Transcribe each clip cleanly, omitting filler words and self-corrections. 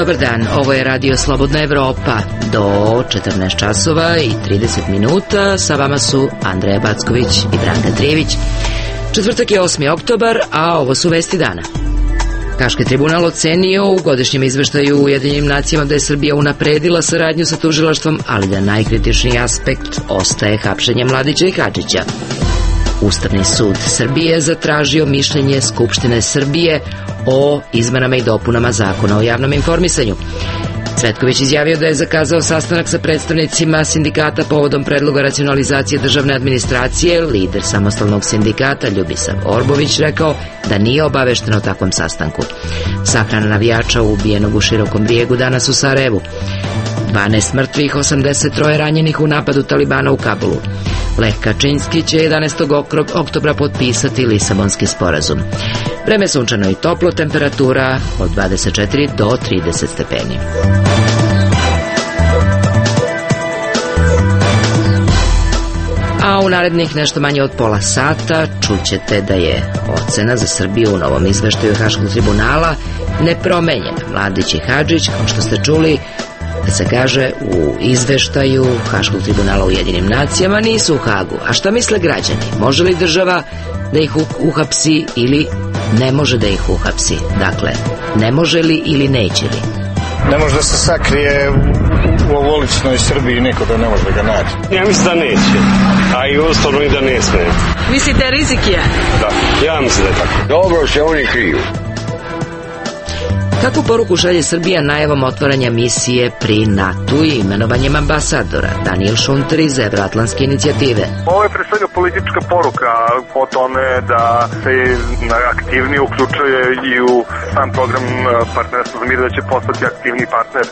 Dobar dan, ovo je Radio Slobodna Evropa. Do 14 časova i 30 minuta sa vama su Andreja Backović i Branka Trijević. Četvrtak je 8. oktobar, a ovo su vesti dana. Haški tribunal ocenio u godišnjem izveštaju u Ujedinjenim nacijama da je Srbija unapredila saradnju sa tužilaštvom, ali da najkritičniji aspekt ostaje hapšenje Mladića i Hadžića. Ustavni sud Srbije zatražio mišljenje Skupštine Srbije o izmenama i dopunama Zakona o javnom informisanju. Cvetković izjavio da je zakazao sastanak sa predstavnicima sindikata povodom predloga racionalizacije državne administracije. Lider samostalnog sindikata Ljubisav Orbović rekao da nije obavešten o takvom sastanku. Sahrana navijača ubijenog u Širokom Brijegu danas u Sarajevu. 12 mrtvih, 83 ranjenih u napadu Talibana u Kabulu. Lech Kačinski će 11. oktobra potpisati Lisabonski sporazum. Vreme sunčano i toplo, temperatura od 24 do 30 stepeni. A u narednih nešto manje od pola sata čućete da je ocena za Srbiju u novom izveštaju Haškog tribunala nepromenjena. Mladić i Hadžić, kao što ste čuli, da se kaže u izveštaju Haškog tribunala u Ujedinjenim nacijama, nisu u Hagu. A šta misle građani? Može li država da ih uhapsi ili ne može da ih uhapsi? Dakle, ne može li ili neće li? Ne može da se sakrije u ovoličnoj Srbiji, niko da ne može da ga nađe. Ja mislim da neće, a i ustavno i da ne sme. Mislite rizik je? Da, ja mislim da je tako. Dobro se oni kriju. Kakvu poruku šalje Srbija najavom otvaranja misije pri NATO i imenovanjem ambasadora? Daniel Šunter iz Evroatlantske inicijative. Ovo je pre svega politička poruka o tome da se aktivnije uključuje i u sam program partnerstva za mir, da će postati aktivni partner.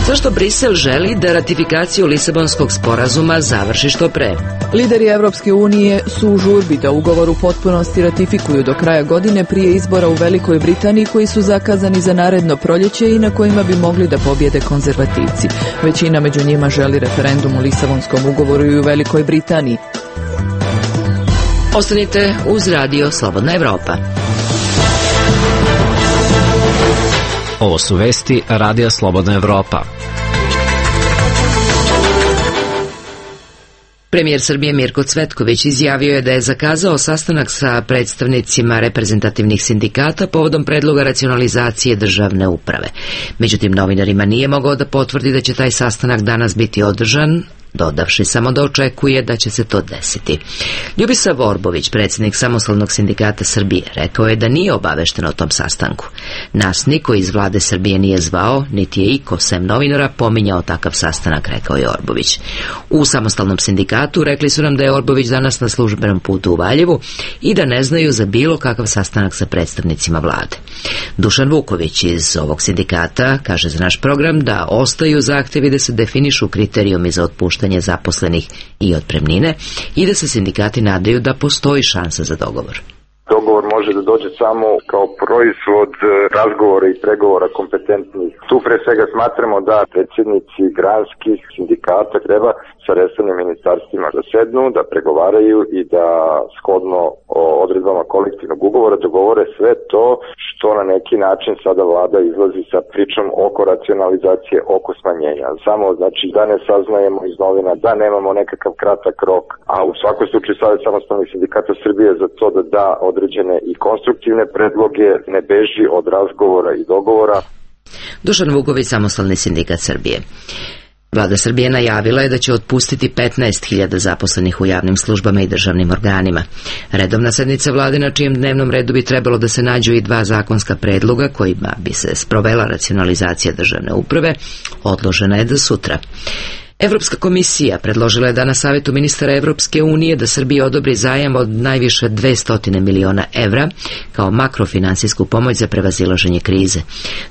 Zašto Brisel želi da ratifikaciju Lisabonskog sporazuma završi što pre? Lideri Evropske unije su u žurbi da ugovor u potpunosti ratifikuju do kraja godine prije izbora u Velikoj Britaniji koji su zakazani za naredno proljeće i na kojima bi mogli da pobjede konzervativci. Većina među njima želi referendum o Lisabonskom ugovoru i u Velikoj Britaniji. Ostanite uz Radio Slobodna Evropa. Ovo su vesti Radija Slobodna Evropa. Premijer Srbije Mirko Cvetković izjavio je da je zakazao sastanak sa predstavnicima reprezentativnih sindikata povodom predloga racionalizacije državne uprave. Međutim, novinarima nije mogao da potvrdi da će taj sastanak danas biti održan, dodavši samo da očekuje da će se to desiti. Ljubisav Orbović, predsjednik samostalnog sindikata Srbije, rekao je da nije obavešten o tom sastanku. Nas niko iz vlade Srbije nije zvao, niti je iko sem novinara pominjao takav sastanak, rekao je Orbović. U samostalnom sindikatu rekli su nam da je Orbović danas na službenom putu u Valjevu i da ne znaju za bilo kakav sastanak sa predstavnicima vlade. Dušan Vuković iz ovog sindikata kaže za naš program da ostaju zahtjevi da se definišu kriterijumi za otpuštanje zaposlenih i otpremnine i da se sindikati nadaju da postoji šansa za dogovor. Dogovor može da dođe samo kao proizvod razgovora i pregovora kompetentnih. Tu pre svega smatramo da predsjednici granskih sindikata treba sa resornim ministarstvima da sednu, da pregovaraju i da shodno odredbama kolektivnog ugovora dogovore sve to što na neki način sada vlada izlazi sa pričom oko racionalizacije, oko smanjenja. Samo znači da ne saznajemo iz novina, da nemamo nekakav kratak rok, a u svakom slučaju Savez samostalnih sindikata Srbije za to da da određene i konstruktivne predloge, ne beži od razgovora i dogovora. Dušan Vuković, samostalni sindikat Srbije. Vlada Srbije najavila je da će otpustiti 15.000 zaposlenih u javnim službama i državnim organima. Redovna sednica vlade na čijem dnevnom redu bi trebalo da se nađu i 2 zakonska predloga kojima bi se sprovela racionalizacija državne uprave, odložena je za sutra. Evropska komisija predložila je da na Savetu ministara Evropske unije da Srbiji odobri zajam od najviše 200 miliona evra kao makrofinansijsku pomoć za prevazilaženje krize.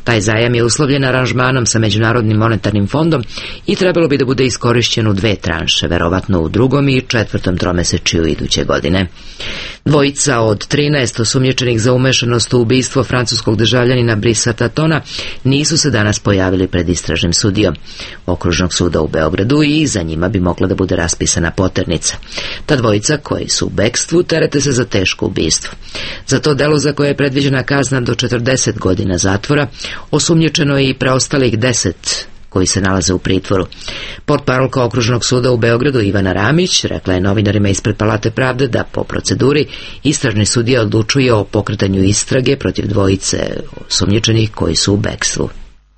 Taj zajam je uslovljen aranžmanom sa Međunarodnim monetarnim fondom i trebalo bi da bude iskorišćen u 2 tranše, verovatno u 2. i 4. tromesečju iduće godine. Dvojica od 13 osumnjičenih za umešanost u ubistvo francuskog državljanina Brisa Tatona nisu se danas pojavili pred istražnim sudijom Okružnog suda u Beogradu i za njima bi mogla da bude raspisana poternica. Ta dvojica, koji su u bekstvu, terete se za teško ubistvo. Za to delo, za koje je predviđena kazna do 40 godina zatvora, osumnjičeno je i preostalih 10 koji se nalaze u pritvoru. Portparolka Okružnog suda u Beogradu Ivana Ramić rekla je novinarima ispred Palate pravde da po proceduri istražni sudija odlučuje o pokretanju istrage protiv dvojice osumnjičenih koji su u bekstvu.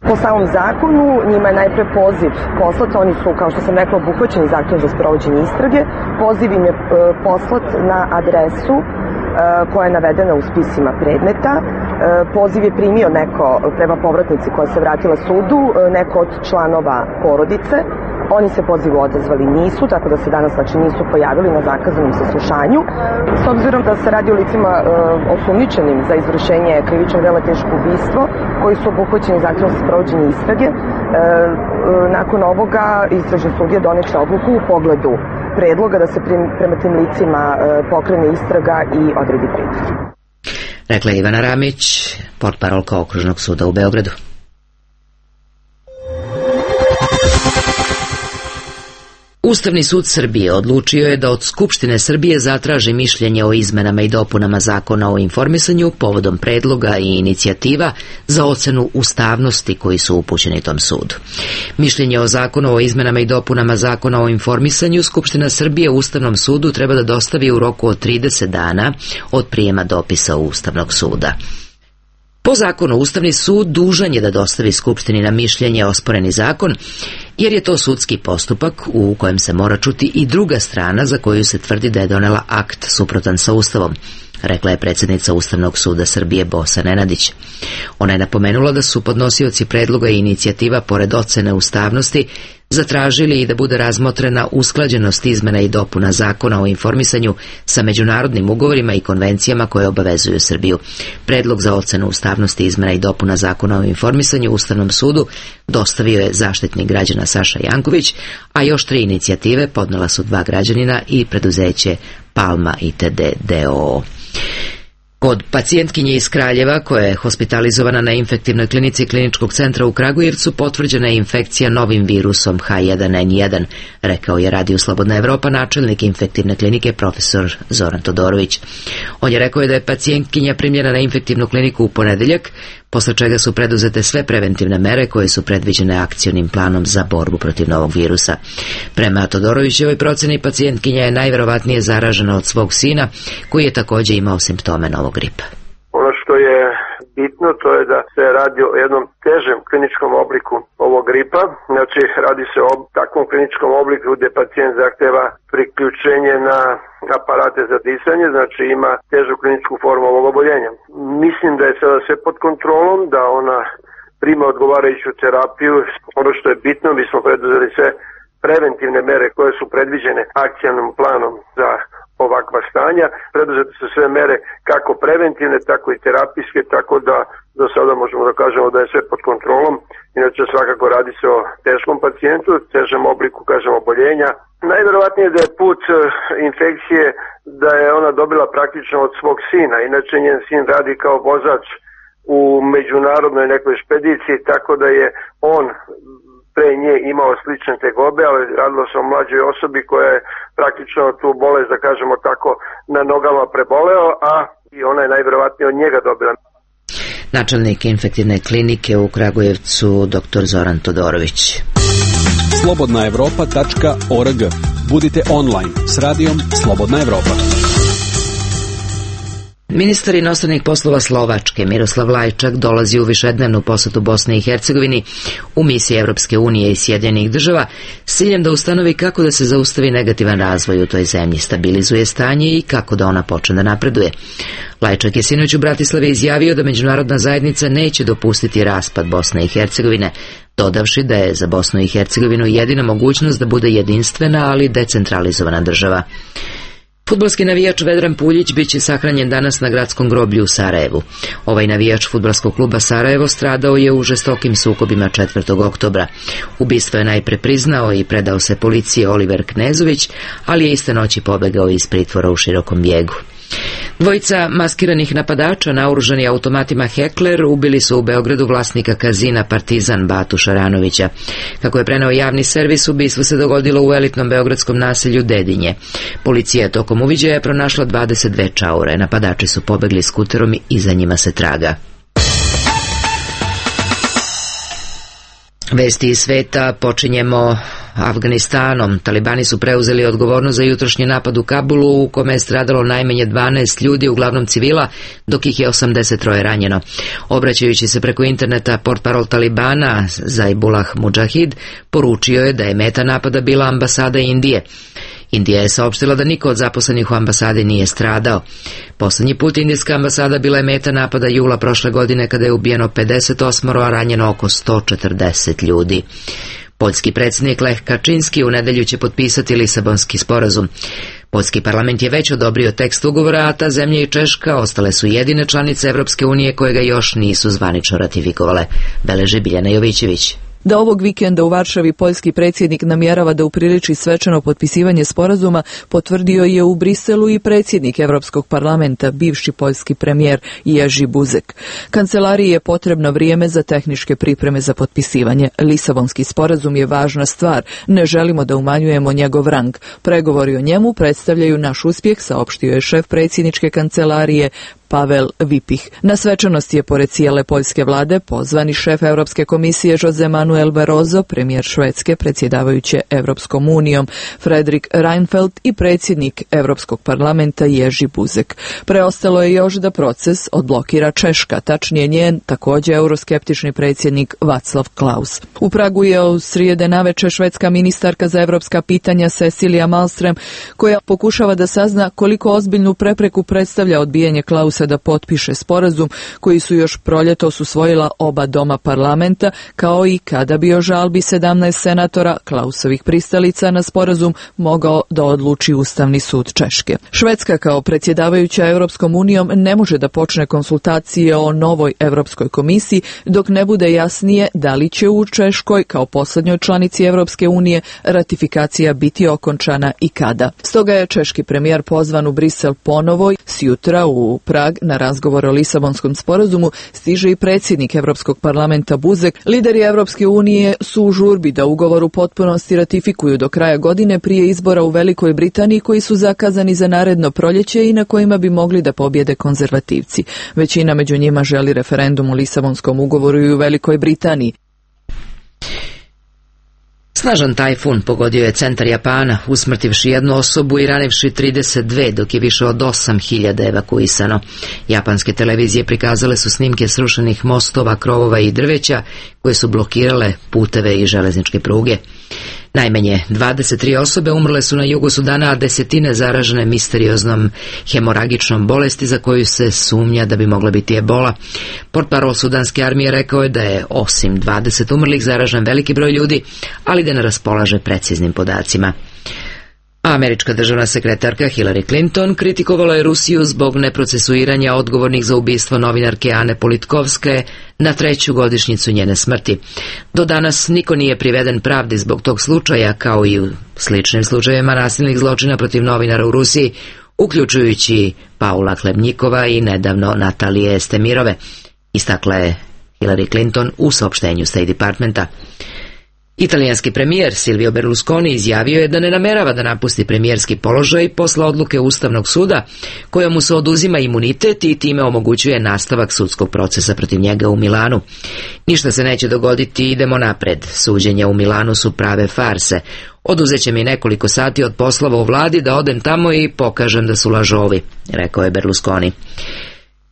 Po samom zakonu njima je najpre poziv poslat, oni su, kao što sam rekla, obuhvaćeni zahtevom za sprovođenje istrage. Poziv im je poslat na adresu koja je navedena u spisima predmeta. Poziv je primio neko, prema povratnici koja se vratila sudu, neko od članova porodice. Oni se pozivu odazvali nisu, tako da se danas nisu pojavili na zakazanom saslušanju. S obzirom da se radi o licima osumnjičenim za izvršenje krivičnog dela teško ubistvo, koji su obuhvaćeni zahtevom za sprovođenje istrage, nakon ovoga istražni sudija doneće odluku u pogledu predloga da se prema tim licima pokrene istraga i odredi pritvor. Rekla je Ivana Ramić, portparolka Okružnog suda u Beogradu. Ustavni sud Srbije odlučio je da od Skupštine Srbije zatraži mišljenje o izmenama i dopunama Zakona o informisanju povodom predloga i inicijativa za ocenu ustavnosti koji su upućeni tom sudu. Mišljenje o Zakonu o izmenama i dopunama Zakona o informisanju Skupština Srbije Ustavnom sudu treba da dostavi u roku od 30 dana od prijema dopisa Ustavnog suda. Po zakonu Ustavni sud dužan je da dostavi Skupštini na mišljenje osporeni zakon, jer je to sudski postupak u kojem se mora čuti i druga strana za koju se tvrdi da je donela akt suprotan sa Ustavom, rekla je predsjednica Ustavnog suda Srbije Bosa Nenadić. Ona je napomenula da su podnosioci predloga i inicijativa pored ocene ustavnosti zatražili i da bude razmotrena usklađenost izmena i dopuna Zakona o informisanju sa međunarodnim ugovorima i konvencijama koje obavezuju Srbiju. Predlog za ocenu ustavnosti izmena i dopuna Zakona o informisanju Ustavnom sudu dostavio je Zaštitnik građana Saša Janković, a još 3 inicijative podnela su 2 građanina i preduzeće Palma ITD d.o.o. Kod pacijentkinje iz Kraljeva, koja je hospitalizovana na infektivnoj klinici Kliničkog centra u Kragujevcu, potvrđena je infekcija novim virusom H1N1, rekao je Radiju Slobodna Evropa načelnik infektivne klinike profesor Zoran Todorović. On je rekao da je pacijentkinja primljena na infektivnu kliniku u ponedeljak, posle čega su preduzete sve preventivne mere koje su predviđene akcionim planom za borbu protiv novog virusa. Prema Todorovićevoj proceni, pacijentkinja je najverovatnije zaražena od svog sina, koji je također imao simptome novog gripa. Ono što je bitno, to je da se radi o jednom težem kliničkom obliku ovog gripa. Znači, radi se o takvom kliničkom obliku gdje pacijent zahteva priključenje na aparate za disanje, znači ima težu kliničku formu ovog oboljenja. Mislim da je sada sve pod kontrolom, da ona prima odgovarajuću terapiju. Ono što je bitno, mi smo preduzeli sve preventivne mere koje su predviđene akcionim planom za ovakva stanja. Preduzete su sve mere kako preventivne, tako i terapijske, tako da do sada možemo da kažemo da je sve pod kontrolom. Inače svakako radi se o teškom pacijentu, težem obliku, kažemo, oboljenja. Najverovatnije da je put infekcije da je ona dobila praktično od svog sina. Inače njen sin radi kao vozač u međunarodnoj nekoj špediciji, tako da je on pre nje imao slične tegobe, ali radilo se o mlađoj osobi koja je praktično tu bolest, da kažemo tako, na nogama preboleo, a i ona je najverovatnije od njega dobila. Načelnik infektivne klinike u Kragujevcu dr. Zoran Todorović. slobodnaevropa.org. Budite online s radijom Slobodna Evropa. Ministar inostranih poslova Slovačke Miroslav Lajčak dolazi u višednevnu posetu Bosne i Hercegovini u misiji Evropske unije i Sjedinjenih država s ciljem da ustanovi kako da se zaustavi negativan razvoj u toj zemlji, stabilizuje stanje i kako da ona počne da napreduje. Lajčak je sinoć u Bratislavi izjavio da međunarodna zajednica neće dopustiti raspad Bosne i Hercegovine, dodavši da je za Bosnu i Hercegovinu jedina mogućnost da bude jedinstvena, ali decentralizovana država. Fudbalski navijač Vedran Puljić biće sahranjen danas na gradskom groblju u Sarajevu. Ovaj navijač fudbalskog kluba Sarajevo stradao je u žestokim sukobima 4. oktobra. Ubistvo je najpre priznao i predao se policiji Oliver Knezović, ali je iste noći pobegao iz pritvora u Širokom Bjegu. Dvojica maskiranih napadača naoružani automatima Heckler ubili su u Beogradu vlasnika kazina Partizan Batu Šaranovića. Kako je preneo javni servis, ubistvo se dogodilo u elitnom beogradskom naselju Dedinje. Policija je tokom uviđaja pronašla 22 čaure. Napadači su pobegli skuterom i za njima se traga. Vesti iz sveta počinjemo Afganistanom. Talibani su preuzeli odgovornost za jutrošnji napad u Kabulu u kome je stradalo najmanje 12 ljudi, uglavnom civila, dok ih je 83 ranjeno. Obraćajući se preko interneta, portparol Talibana Zaibullah Mujahid poručio je da je meta napada bila ambasada Indije. Indija je saopštila da niko od zaposlenih u ambasadi nije stradao. Poslednji put indijska ambasada bila je meta napada jula prošle godine kada je ubijeno 58, a ranjeno oko 140 ljudi. Poljski predsjednik Lech Kaczynski u nedelju će potpisati Lisabonski sporazum. Poljski parlament je već odobrio tekst ugovora, a ta zemlja i Češka ostale su jedine članice Evropske unije koje ga još nisu zvanično ratifikovale, beleži Biljana Jovićević. Da ovog vikenda u Varšavi poljski predsjednik namjerava da upriliči svečano potpisivanje sporazuma, potvrdio je u Briselu i predsjednik Evropskog parlamenta, bivši poljski premijer Jerzy Buzek. Kancelariji je potrebno vrijeme za tehničke pripreme za potpisivanje. Lisabonski sporazum je važna stvar, ne želimo da umanjujemo njegov rang. Pregovori o njemu predstavljaju naš uspjeh, saopštio je šef predsjedničke kancelarije Pavel Vipih. Na svečanosti je pored cijele poljske vlade pozvani šef Europske komisije Jose Manuel Barroso, premijer Švedske predsjedavajuće Europskom unijom Fredrik Reinfeldt i predsjednik Europskog parlamenta Jerzy Buzek. Preostalo je još da proces odblokira Češka, tačnije njen također euroskeptični predsjednik Václav Klaus. U Pragu je od srijede navečer švedska ministarka za europska pitanja Cecilia Malmström, koja pokušava da sazna koliko ozbiljnu prepreku predstavlja odbijanje Klausa da potpiše sporazum koji su još proljetos usvojila oba doma parlamenta, kao i kada bi o žalbi 17 senatora Klausovih pristalica na sporazum mogao da odluči Ustavni sud Češke. Švedska kao predsjedavajuća Europskom unijom ne može da počne konsultacije o novoj Europskoj komisiji dok ne bude jasnije da li će u Češkoj kao posljednjoj članici Europske unije ratifikacija biti okončana i kada. Stoga je češki premijer pozvan u Brisel ponovo. Sjutra u Prag na razgovor o Lisabonskom sporazumu stiže i predsjednik Europskog parlamenta Buzek. Lideri Europske unije su u žurbi da ugovor u potpunosti ratifikuju do kraja godine prije izbora u Velikoj Britaniji koji su zakazani za naredno proljeće i na kojima bi mogli da pobjede konzervativci. Većina među njima želi referendum o Lisabonskom ugovoru i u Velikoj Britaniji. Snažan tajfun pogodio je centar Japana, usmrtivši jednu osobu i ranivši 32, dok je više od 8.000 evakuisano. Japanske televizije prikazale su snimke srušenih mostova, krovova i drveća koje su blokirale puteve i železničke pruge. Najmanje 23 osobe umrle su na jugu Sudana, a desetine zaražene misterioznom hemoragičnom bolesti za koju se sumnja da bi mogla biti ebola. Portparol sudanske armije rekao je da je osim 20 umrlih zaražen veliki broj ljudi, ali da ne raspolaže preciznim podacima. Američka državna sekretarka Hillary Clinton kritikovala je Rusiju zbog neprocesuiranja odgovornih za ubistvo novinarke Ane Politkovske na 3. godišnjicu njene smrti. Do danas niko nije priveden pravdi zbog tog slučaja, kao i u sličnim slučajevima nasilnih zločina protiv novinara u Rusiji, uključujući Paula Klebnjikova i nedavno Natalije Estemirove, istakla je Hillary Clinton u saopštenju State Departmenta. Italijanski premijer Silvio Berlusconi izjavio je da ne namerava da napusti premijerski položaj posle odluke Ustavnog suda koja mu se oduzima imunitet i time omogućuje nastavak sudskog procesa protiv njega u Milanu. Ništa se neće dogoditi, idemo napred. Suđenja u Milanu su prave farse. Oduzeće mi nekoliko sati od poslova u vladi da odem tamo i pokažem da su lažovi, rekao je Berlusconi.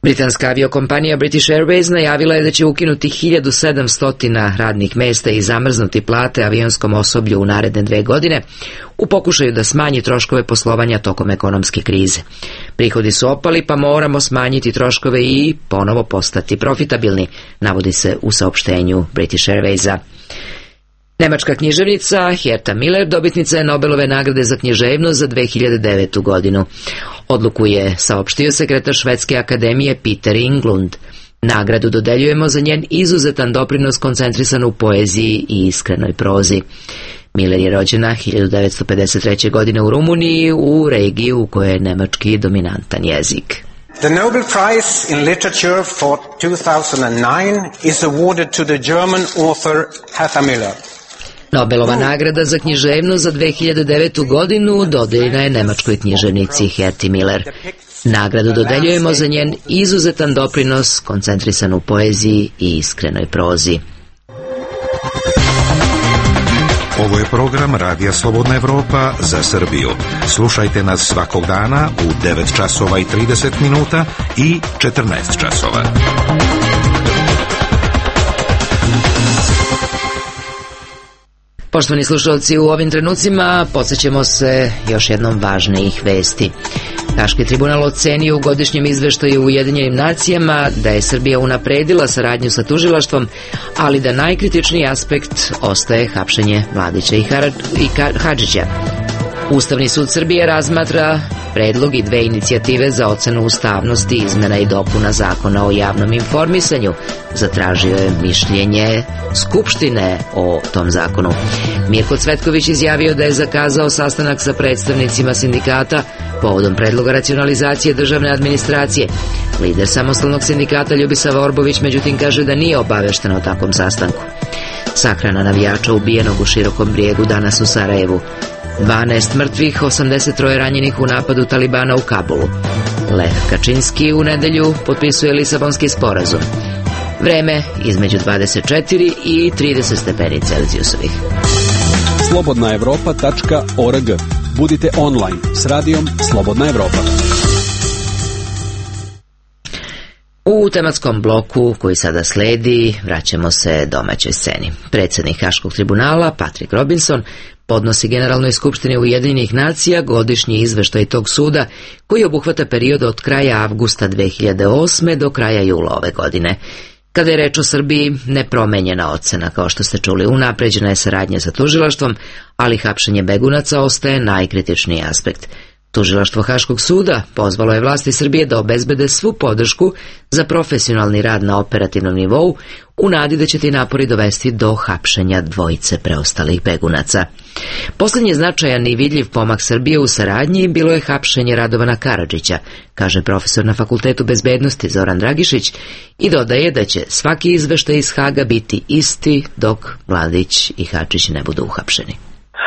Britanska aviokompanija British Airways najavila je da će ukinuti 1700 radnih mjesta i zamrznuti plate avionskom osoblju u naredne 2 godine u pokušaju da smanji troškove poslovanja tokom ekonomske krize. Prihodi su opali, pa moramo smanjiti troškove i ponovo postati profitabilni, navodi se u saopštenju British Airwaysa. Nemačka književnica Herta Miller dobitnica je Nobelove nagrade za književnost za 2009. godinu. Odluku je saopštio sekretar Švedske akademije Peter Englund. Nagradu dodeljujemo za njen izuzetan doprinos koncentrisan u poeziji i iskrenoj prozi. Miller je rođena 1953. godine u Rumuniji, u regiji u kojoj je nemački dominantan jezik. The Nobel Prize in Literature for 2009 is awarded to the German author Hertha Müller. Nobelova nagrada za književnost za 2009. godinu dodeljena je nemačkoj književnici Herti Müller. Nagradu dodeljujemo za njen izuzetan doprinos koncentrisan u poeziji i iskrenoj prozi. Ovo je program Radija Slobodna Evropa za Srbiju. Slušajte nas svakog dana u 9 časova i 30 minuta i 14 časova. Poštovani slušalci, u ovim trenucima podsjećamo se još jednom važnijih vesti. Haški tribunal ocenio u godišnjem izveštaju u Ujedinjenim nacijama da je Srbija unapredila saradnju sa tužilaštvom, ali da najkritičniji aspekt ostaje hapšenje Mladića i Hadžića. Ustavni sud Srbije razmatra predlog i 2 inicijative za ocenu ustavnosti izmena i dopuna Zakona o javnom informisanju. Zatražio je mišljenje Skupštine o tom zakonu. Mirko Cvetković izjavio da je zakazao sastanak sa predstavnicima sindikata povodom predloga racionalizacije državne administracije. Lider samostalnog sindikata Ljubisava Orbović međutim kaže da nije obavešten o takvom sastanku. Sahrana navijača ubijenog u Širokom Brijegu danas u Sarajevu. 12 mrtvih, 83 ranjenih u napadu Talibana u Kabulu. Lech Kačinski u nedelju potpisuje Lisabonski sporazum. Vreme između 24 i 30 stepeni Celzijusovih. slobodnaevropa.org. Budite online s radijom Slobodna Evropa. U tematskom bloku koji sada sledi vraćamo se domaćoj sceni. Predsjednik Haškog tribunala Patrick Robinson podnosi Generalnoj skupštini Ujedinjenih nacija godišnji izveštaj tog suda koji obuhvata period od kraja avgusta 2008. do kraja jula ove godine. Kada je reč o Srbiji, nepromenjena ocena, kao što ste čuli, unapređena je saradnja sa tužilaštvom, ali hapšenje begunaca ostaje najkritičniji aspekt. Tužilaštvo Haškog suda pozvalo je vlasti Srbije da obezbede svu podršku za profesionalni rad na operativnom nivou u nadi da će ti napori dovesti do hapšenja 2 preostalih begunaca. Posljednji značajan i vidljiv pomak Srbije u saradnji bilo je hapšenje Radovana Karadžića, kaže profesor na Fakultetu bezbednosti Zoran Dragišić i dodaje da će svaki izveštaj iz Haga biti isti dok Mladić i Hadžić ne budu uhapšeni.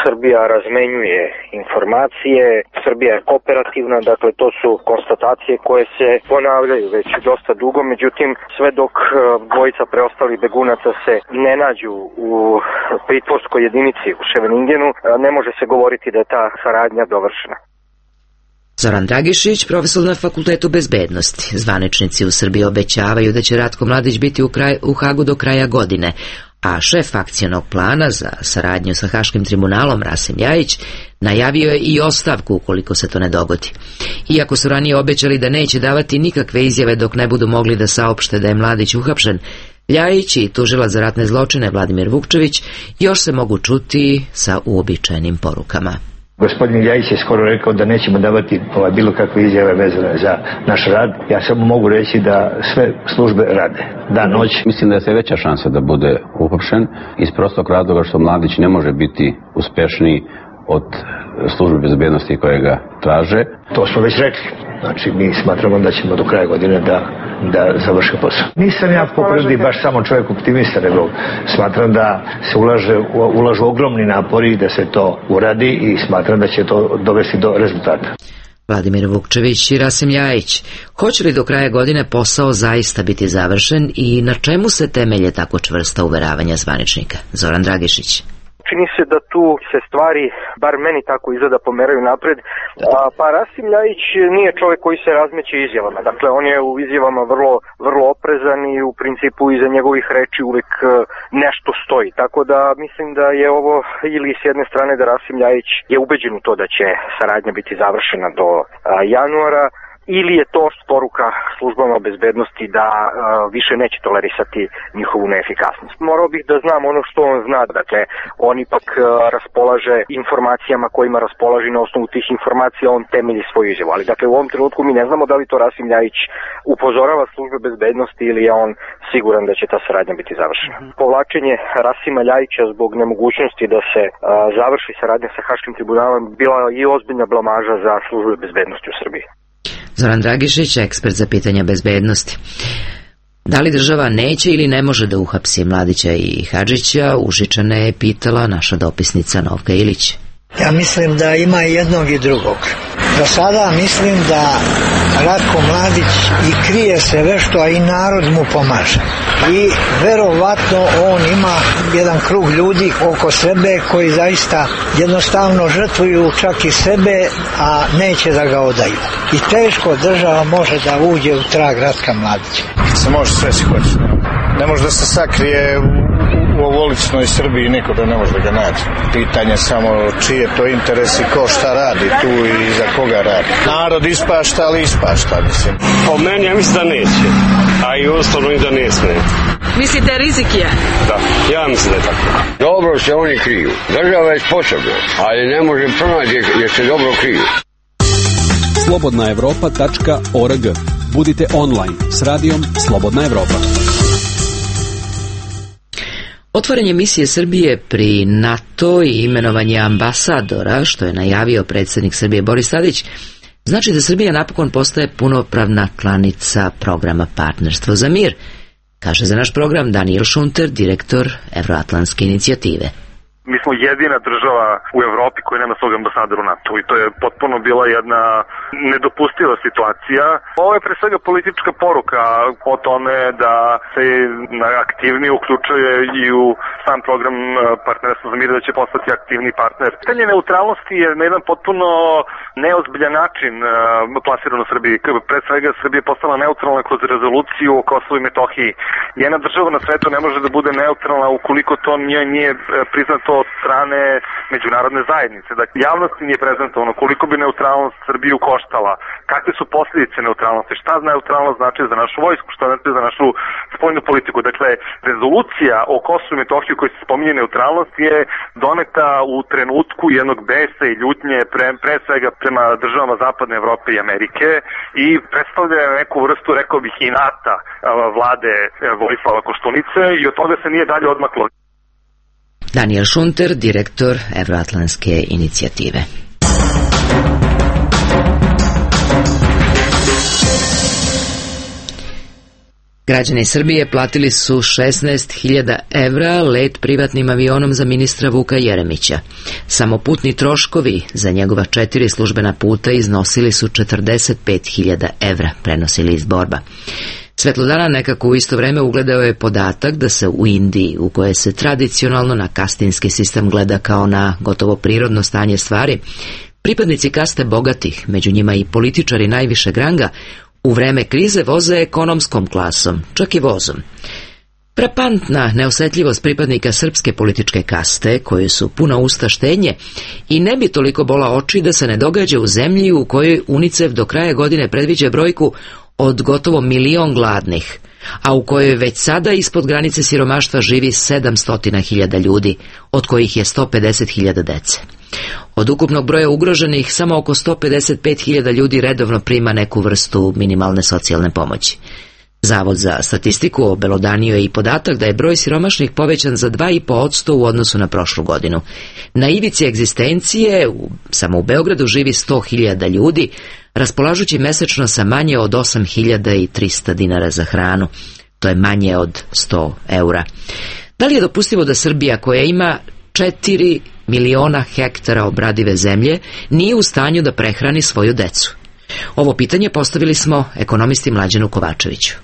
Srbija razmenjuje informacije, Srbija je kooperativna, dakle to su konstatacije koje se ponavljaju već dosta dugo, međutim sve dok 2 preostalih begunaca se ne nađu u pritvorskoj jedinici u Ševeningenu, ne može se govoriti da je ta saradnja dovršena. Zoran Dragišić, profesor na Fakultetu bezbednosti. Zvaničnici u Srbiji obećavaju da će Ratko Mladić biti u Hagu do kraja godine, a šef akcionog plana za saradnju sa Haškim tribunalom Rasim Ljajić najavio je i ostavku ukoliko se to ne dogodi. Iako su ranije obećali da neće davati nikakve izjave dok ne budu mogli da saopšte da je Mladić uhapšen, Ljajić i tužilac za ratne zločine Vladimir Vukčević još se mogu čuti sa uobičajenim porukama. Gospodin Ljajić je skoro rekao da nećemo davati bilo kakve izjave vezane za naš rad. Ja samo mogu reći da sve službe rade, dan, noć. Mislim da je sve veća šansa da bude uhapšen iz prostog razloga što Mladić ne može biti uspešniji od službe bezbednosti koje ga traže. To smo već rekli. Znači, mi smatramo da ćemo do kraja godine da završi posao. Nisam ja po prirodi baš samo čovjek optimista, nego smatram da se ulažu ogromni napori da se to uradi i smatram da će to dovesti do rezultata. Vladimir Vukčević i Rasim Ljajić. Hoće li do kraja godine posao zaista biti završen i na čemu se temelje tako čvrsta uveravanja zvaničnika? Zoran Dragišić. Čini se da tu se stvari, bar meni tako izgleda, pomeraju napred. Pa Rasim Ljajić nije čovjek koji se razmeće izjavama. Dakle, on je u izjavama vrlo oprezan i u principu iza njegovih reči uvijek nešto stoji. Tako da mislim da je ovo ili s jedne strane da Rasim Ljajić je ubeđen u to da će saradnja biti završena do januara, ili je to poruka službama bezbednosti da više neće tolerisati njihovu neefikasnost. Morao bih da znam ono što on zna, dakle on ipak raspolaže informacijama kojima raspolaže, na osnovu tih informacija on temelji svoju izjavu, ali dakle u ovom trenutku mi ne znamo da li to Rasim Ljajić upozorava službe bezbednosti ili je on siguran da će ta saradnja biti završena. Povlačenje Rasima Ljajića zbog nemogućnosti da se završi saradnja sa Haškim tribunalom bila i ozbiljna blamaža za službe bezbednosti u Srbiji. Zoran Dragišić, ekspert za pitanja bezbednosti. Da li država neće ili ne može da uhapsi Mladića i Hadžića, Užičane je pitala naša dopisnica Novka Ilić. Ja mislim da ima i jednog i drugog. Do sada mislim da Ratko Mladić i krije se vešto, a i narod mu pomaže. I verovatno on ima jedan krug ljudi oko sebe koji zaista jednostavno žrtvuju čak i sebe, a neće da ga odaju. I teško država može da uđe u trag Ratka Mladića. Se može sve si hoće. Ne može da se sakrije u ovoličnoj Srbiji, niko da ne može da ga nađe. Pitanje samo čiji je to interes i ko šta radi tu i za koga radi. Narod ispašta, ali ispašta, mislim. Po meni ja mislim da neće, a i ustavno i da ne sme. Mislite rizik je? Da, ja mislim da je tako. Dobro se oni kriju. Država je sposobna, ali ne može pronaći jer se dobro kriju. slobodnaevropa.org. Budite online s radijom Slobodna Evropa. Otvaranje misije Srbije pri NATO i imenovanje ambasadora, što je najavio predsjednik Srbije Boris Tadić, znači da Srbija napokon postaje punopravna članica programa Partnerstvo za mir, kaže za naš program Daniel Šunter, direktor Evroatlantske inicijative. Mi smo jedina država u Evropi koja nema svog ambasadora u NATO i to je potpuno bila jedna nedopustiva situacija. Ovo je pre svega politička poruka o tome da se aktivnije uključuje i u sam program Partnerstva za mir, da će postati aktivni partner. Pitanje neutralnosti je na jedan potpuno neozbiljan način plasirano u Srbiji. Pre svega Srbija je postala neutralna kroz rezoluciju o Kosovu i Metohiji. Jedna država na svetu ne može da bude neutralna ukoliko to nije priznato od strane međunarodne zajednice. Dakle, javnosti nije prezentovano koliko bi neutralnost Srbiju koštala, kakve su posljedice neutralnosti, šta neutralnost znači za našu vojsku, šta znači za našu spoljnu politiku. Dakle, rezolucija o Kosovu i Metohiji koji se spominje neutralnost je doneta u trenutku jednog besa i ljutnje pre svega prema državama Zapadne Evrope i Amerike i predstavlja neku vrstu, rekao bih, inata vlade Vojislava Koštunice i od toga se nije dalje odmaklo. Daniel Šunter, direktor Evroatlantske inicijative. Građani Srbije platili su 16.000 evra let privatnim avionom za ministra Vuka Jeremića. Samo putni troškovi za njegova 4 službena puta iznosili su 45.000 evra, prenosili iz Borba. Svetlodana nekako u isto vreme ugledao je podatak da se u Indiji, u kojoj se tradicionalno na kastinski sistem gleda kao na gotovo prirodno stanje stvari, pripadnici kaste bogatih, među njima i političari najvišeg ranga, u vreme krize voze ekonomskom klasom, čak i vozom. Frapantna neosetljivost pripadnika srpske političke kaste, koji su puna usta štednje, i ne bi toliko bola oči da se ne događa u zemlji u kojoj UNICEF do kraja godine predviđa brojku od gotovo 1 milion gladnih, a u kojoj već sada ispod granice siromaštva živi 700.000 ljudi, od kojih je 150.000 dece. Od ukupnog broja ugroženih, samo oko 155.000 ljudi redovno prima neku vrstu minimalne socijalne pomoći. Zavod za statistiku obelodanio je i podatak da je broj siromašnih povećan za 2,5% u odnosu na prošlu godinu. Na ivici egzistencije, samo u Beogradu živi 100.000 ljudi, raspolažući mesečno sa manje od 8.300 dinara za hranu. To je manje od 100 eura. Da li je dopustivo da Srbija, koja ima 4 miliona hektara obradive zemlje, nije u stanju da prehrani svoju decu? Ovo pitanje postavili smo ekonomisti Mlađanu Kovačeviću.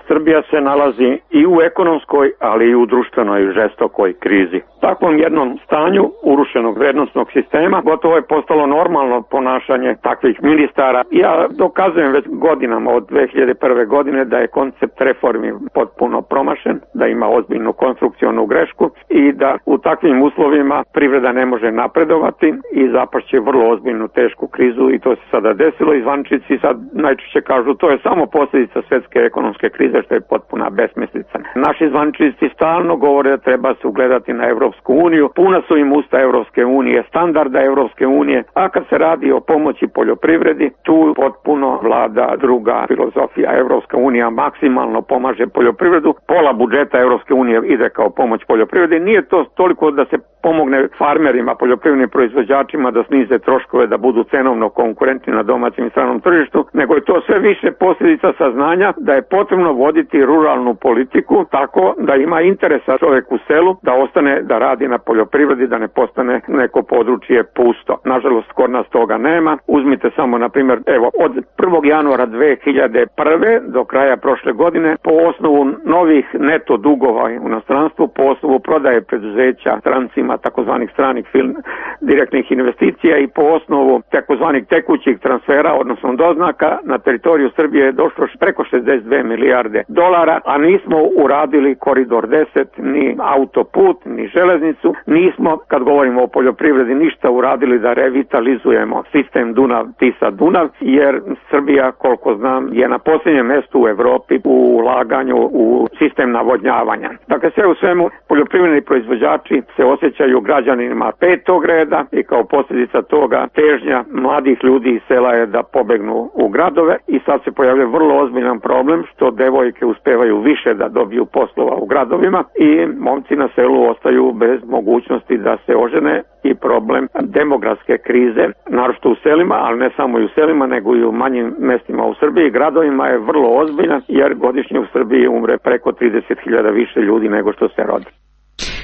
Srbija se nalazi i u ekonomskoj, ali i u društvenoj žestokoj krizi. Takvom jednom stanju urušenog vrednostnog sistema gotovo je postalo normalno ponašanje takvih ministara. Ja dokazujem već godinama od 2001. godine da je koncept reformi potpuno promašen, da ima ozbiljnu konstrukcionu grešku i da u takvim uslovima privreda ne može napredovati i zapašće vrlo ozbiljnu tešku krizu i to se sada desilo i zvaničnici sad najčešće kažu to je samo posljedica svjetske ekonomske krize što je potpuna besmislica. Naši zvaničnici stalno govore da treba se ugledati na Evropsku uniju, puna su im usta Evropske unije, standarda Evropske unije, a kad se radi o pomoći poljoprivredi, tu potpuno vlada druga filozofija. Evropska unija maksimalno pomaže poljoprivredu, pola budžeta Evropske unije ide kao pomoć poljoprivredi. Nije to toliko da se pomogne farmerima, poljoprivrednim proizvođačima da snize troškove, da budu cenovno konkurentni na domaćem i stranom tržištu, nego je to sve više posljedica saznanja da je potrebno voditi ruralnu politiku tako da ima interesa čovjek u selu, da ostane da radi na poljoprivredi, da ne postane neko područje pusto. Nažalost, kod nas toga nema. Uzmite samo, na primjer, evo, od 1. januara 2001. do kraja prošle godine, po osnovu novih neto dugova u inostranstvu, po osnovu prodaje preduzeća strancima, takozvanih stranih direktnih investicija i po osnovu takozvanih tekućih transfera, odnosno doznaka, na teritoriju Srbije je došlo preko 62 milijarde dolara, a nismo uradili koridor 10, ni autoput, ni železnicu, nismo, kad govorimo o poljoprivredi, ništa uradili da revitalizujemo sistem Dunav-Tisa-Dunav, jer Srbija, koliko znam, je na posljednjem mjestu u Evropi u ulaganju u sistem navodnjavanja. Dakle, sve u svemu, poljoprivredni proizvođači se osjećaju građanima petog reda i kao posljedica toga težnja mladih ljudi iz sela je da pobegnu u gradove i sad se pojavljuje vrlo ozbiljan problem što devojke uspevaju više da dobiju poslova u gradovima i momci na selu ostaju bez mogućnosti da se ožene i problem demografske krize, naročito u selima, ali ne samo i u selima, nego i u manjim mestima u Srbiji i gradovima je vrlo ozbiljan jer godišnje u Srbiji umre preko 30.000 više ljudi nego što se rodi.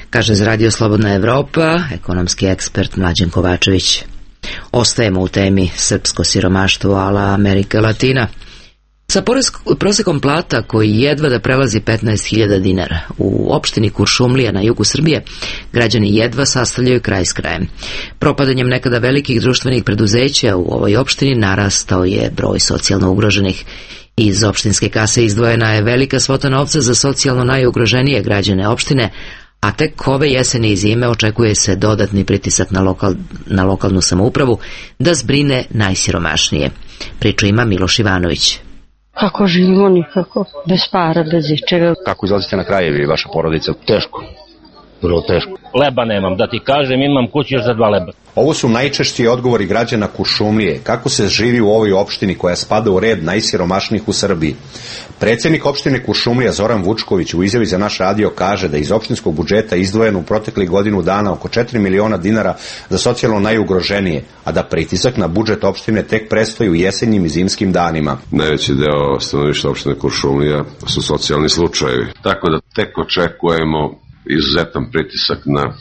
Kaže za Radio Slobodna Evropa ekonomski ekspert Mlađan Kovačević. Ostajemo u temi srpsko siromaštvo ala Amerika Latina. Sa prosekom plata koji jedva da prelazi 15.000 dinara u opštini Kuršumlija na jugu Srbije, građani jedva sastavljaju kraj s krajem. Propadanjem nekada velikih društvenih preduzeća u ovoj opštini narastao je broj socijalno ugroženih. Iz opštinske kase izdvojena je velika svota novca za socijalno najugroženije građane opštine, a tek ove jeseni i zime očekuje se dodatni pritisak na lokalnu samoupravu da zbrine najsiromašnije. Priču ima Miloš Ivanović. Kako živimo nikako, bez para, bez ičega. Kako izlazite na krajevi, vaša porodica? Teško, vrlo teško. Leba nemam, da ti kažem, imam kući još za 2 leba. Ovo su najčešći odgovori građana Kuršumlije. Kako se živi u ovoj opštini koja spada u red najsiromašnijih u Srbiji? Predsjednik opštine Kuršumlija Zoran Vučković u izjavi za naš radio kaže da iz opštinskog budžeta izdvojeno u proteklih godinu dana oko 4 miliona dinara za socijalno najugroženije, a da pritisak na budžet opštine tek predstoji u jesenjim i zimskim danima. Najveći deo stanovništva opštine Kuršumlija su socijalni slučajevi. Tako da tek očekujemo izuzetan pritisak na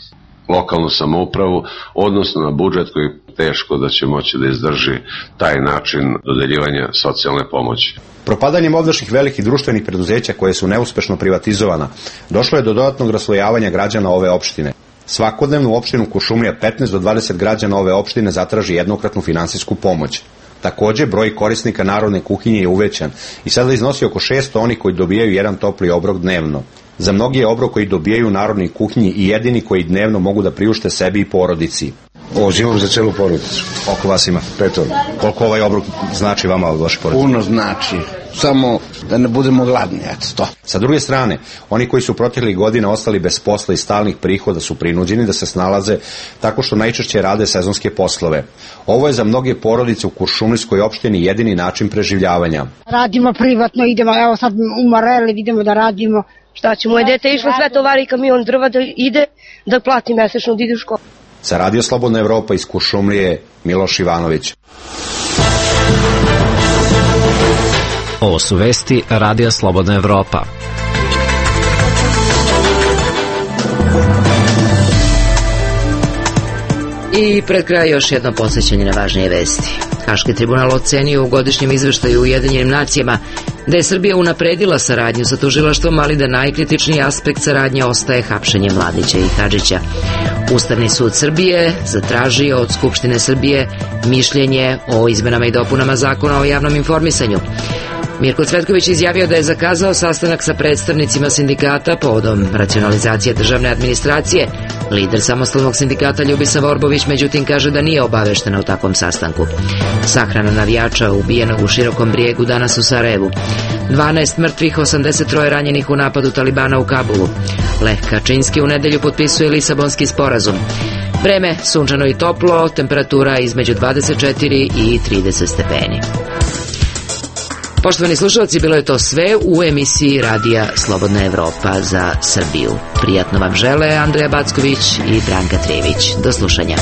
lokalnu samoupravu, odnosno na budžet koji je teško da će moći da izdrži taj način dodeljivanja socijalne pomoći. Propadanjem ovdašnjih velikih društvenih preduzeća koje su neuspešno privatizovana, došlo je do dodatnog raslojavanja građana ove opštine. Svakodnevno u opštinu Kuršumlija 15 do 20 građana ove opštine zatraži jednokratnu finansijsku pomoć. Također, broj korisnika narodne kuhinje je uvećan i sada iznosi oko 600 onih koji dobijaju jedan topli obrok dnevno. Za mnogi je obrok koji dobijaju u narodnoj kuhinji i jedini koji dnevno mogu da priušte sebi i porodici. Ovo zimom za celu porodicu. Oko vas ima? 5. Koliko ovaj obrok znači vama od vaše porodice? Puno znači. Samo da ne budemo gladni, eto. Sa druge strane, oni koji su proteklih godina ostali bez posla i stalnih prihoda su prinuđeni da se snalaze tako što najčešće rade sezonske poslove. Ovo je za mnoge porodice u Kuršumlijskoj opštini jedini način preživljavanja. Radimo privatno, idemo, evo sad u Mareli, idemo da radimo. Šta će, moje dete išlo sve tovari kamion drva da ide, da plati mesečno da ide u školu. Za Radio Slobodna Evropa iz Kuršumlije, Miloš Ivanović. Ovo su vesti Radija Slobodna Evropa. I pred kraj još jedno podsjećanje na važnije vesti. Haški tribunal ocenio u godišnjem izveštaju Ujedinjenim nacijama da je Srbija unapredila saradnju sa tužilaštvom, ali da najkritičniji aspekt saradnje ostaje hapšenje Mladića i Hadžića. Ustavni sud Srbije zatražio od Skupštine Srbije mišljenje o izmenama i dopunama Zakona o javnom informisanju. Mirko Cvetković izjavio da je zakazao sastanak sa predstavnicima sindikata povodom racionalizacije državne administracije. Lider samostalnog sindikata Ljubisa Vorbović međutim kaže da nije obaveštena o takvom sastanku. Sahrana navijača ubijenog u Širokom Brijegu danas u Sarajevu. 12 mrtvih, 83 ranjenih u napadu Talibana u Kabulu. Leh Kačinski u nedelju potpisuje Lisabonski sporazum. Vreme sunčano i toplo, temperatura između 24 i 30 stepeni. Poštovani slušalci, bilo je to sve u emisiji Radija Slobodna Evropa za Srbiju. Prijatno vam žele Andreja Backović i Branka Trijević. Do slušanja.